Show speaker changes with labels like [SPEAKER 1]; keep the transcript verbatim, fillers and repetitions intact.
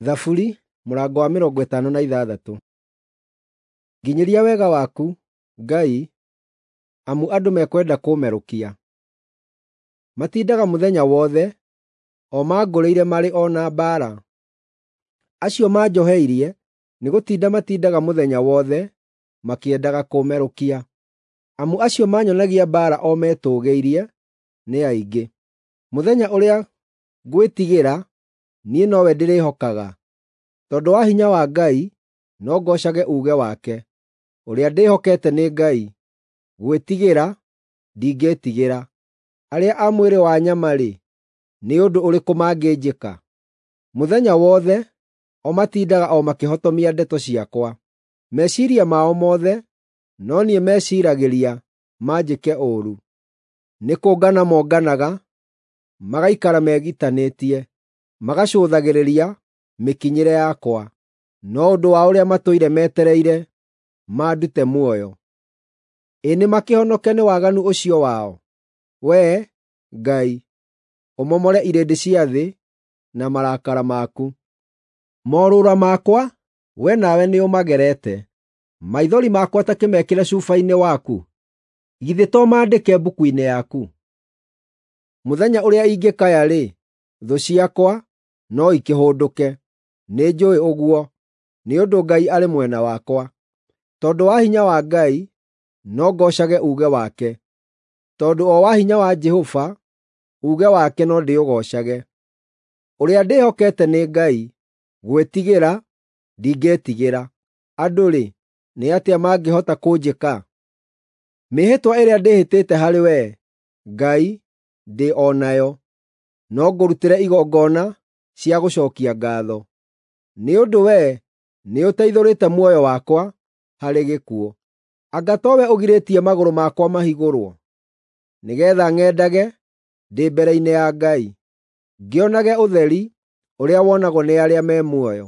[SPEAKER 1] Thaburi mũrango wa mĩrongo ĩtano na ithathatũ. Nginyĩria wega waku, Ngai, amu andũ mekwenda kũũmerũkia. Matindaga mũthenya wothe o mangũrĩire marĩ o na mbaara. Acio manjoheirie nĩgũtinda matindaga mũthenya wothe makĩendaga kũũmerũkia, amu acio manyonagia mbaara o metũũgĩirie nĩ aingĩ. Mũthenya ũrĩa ngwĩtigĩra, niĩ nowe ndĩrĩhokaga. Tondũ wa hinya wa Ngai no ngoocage uuge wake. Ũrĩa ndĩhokete nĩ Ngai, gwĩtigĩra ndingĩĩtigĩra. Arĩa a mwĩrĩ wa nyama-rĩ, nĩ ũndũ ũrĩkũ mangĩnjĩka? Mũthenya wothe o matindaga o makĩhotomia ndeto ciakwa. Meciiria mao mothe no niĩ meciiragĩria manjĩke ũũru. Nĩkũngana monganaga, magaikara megitanĩtie, magacũthagĩrĩria mĩkinyĩre yakwa, no ũndũ wa ũrĩa matũire metereire mandute muoyo. Ĩ nĩmakĩhonoke nĩ waganu ũcio wao? Wee, Ngai, ũmomore irĩndĩ cia thĩ na marakara maku. Morũũra makwa wee nawe nĩũmagerete. Maithori makwa ta kĩmekĩre cuba-inĩ waku. Githĩ to maandĩke mbuku-inĩ yaku? Mũthenya ũrĩa ingĩkaya-rĩ, thũ ciakwa no ikĩhũndũke. Nĩnjũũĩ ũguo, nĩ ũndũ Ngai arĩ mwena wakwa. Tondũ wa hinya wa Ngai, no ngoocage uuge wake. Tondũ o wa hinya wa Jehova, uuge wake no ndĩũgoocage. Ũrĩa ndĩhokete nĩ Ngai, gwĩtigĩra ndingĩĩtigĩra. Andũ-rĩ, nĩ atĩa mangĩhota kũnjĩka? Mĩĩhĩtwa ĩrĩa ndĩhĩtĩte harĩ Wee, Ngai, ndĩ o nayo. No ngũrutĩre igongona cia gũcookia ngaatho, nĩ ũndũ Wee nĩũteithũrĩte muoyo wakwa harĩ gĩkuũ. Anga towe ũgirĩtie magũrũ makwa mahigũrwo, nĩgeetha ng'endage ndĩ mbere-inĩ ya Ngai, ngĩonage ũtheri ũrĩa wonagwo nĩ arĩa me muoyo.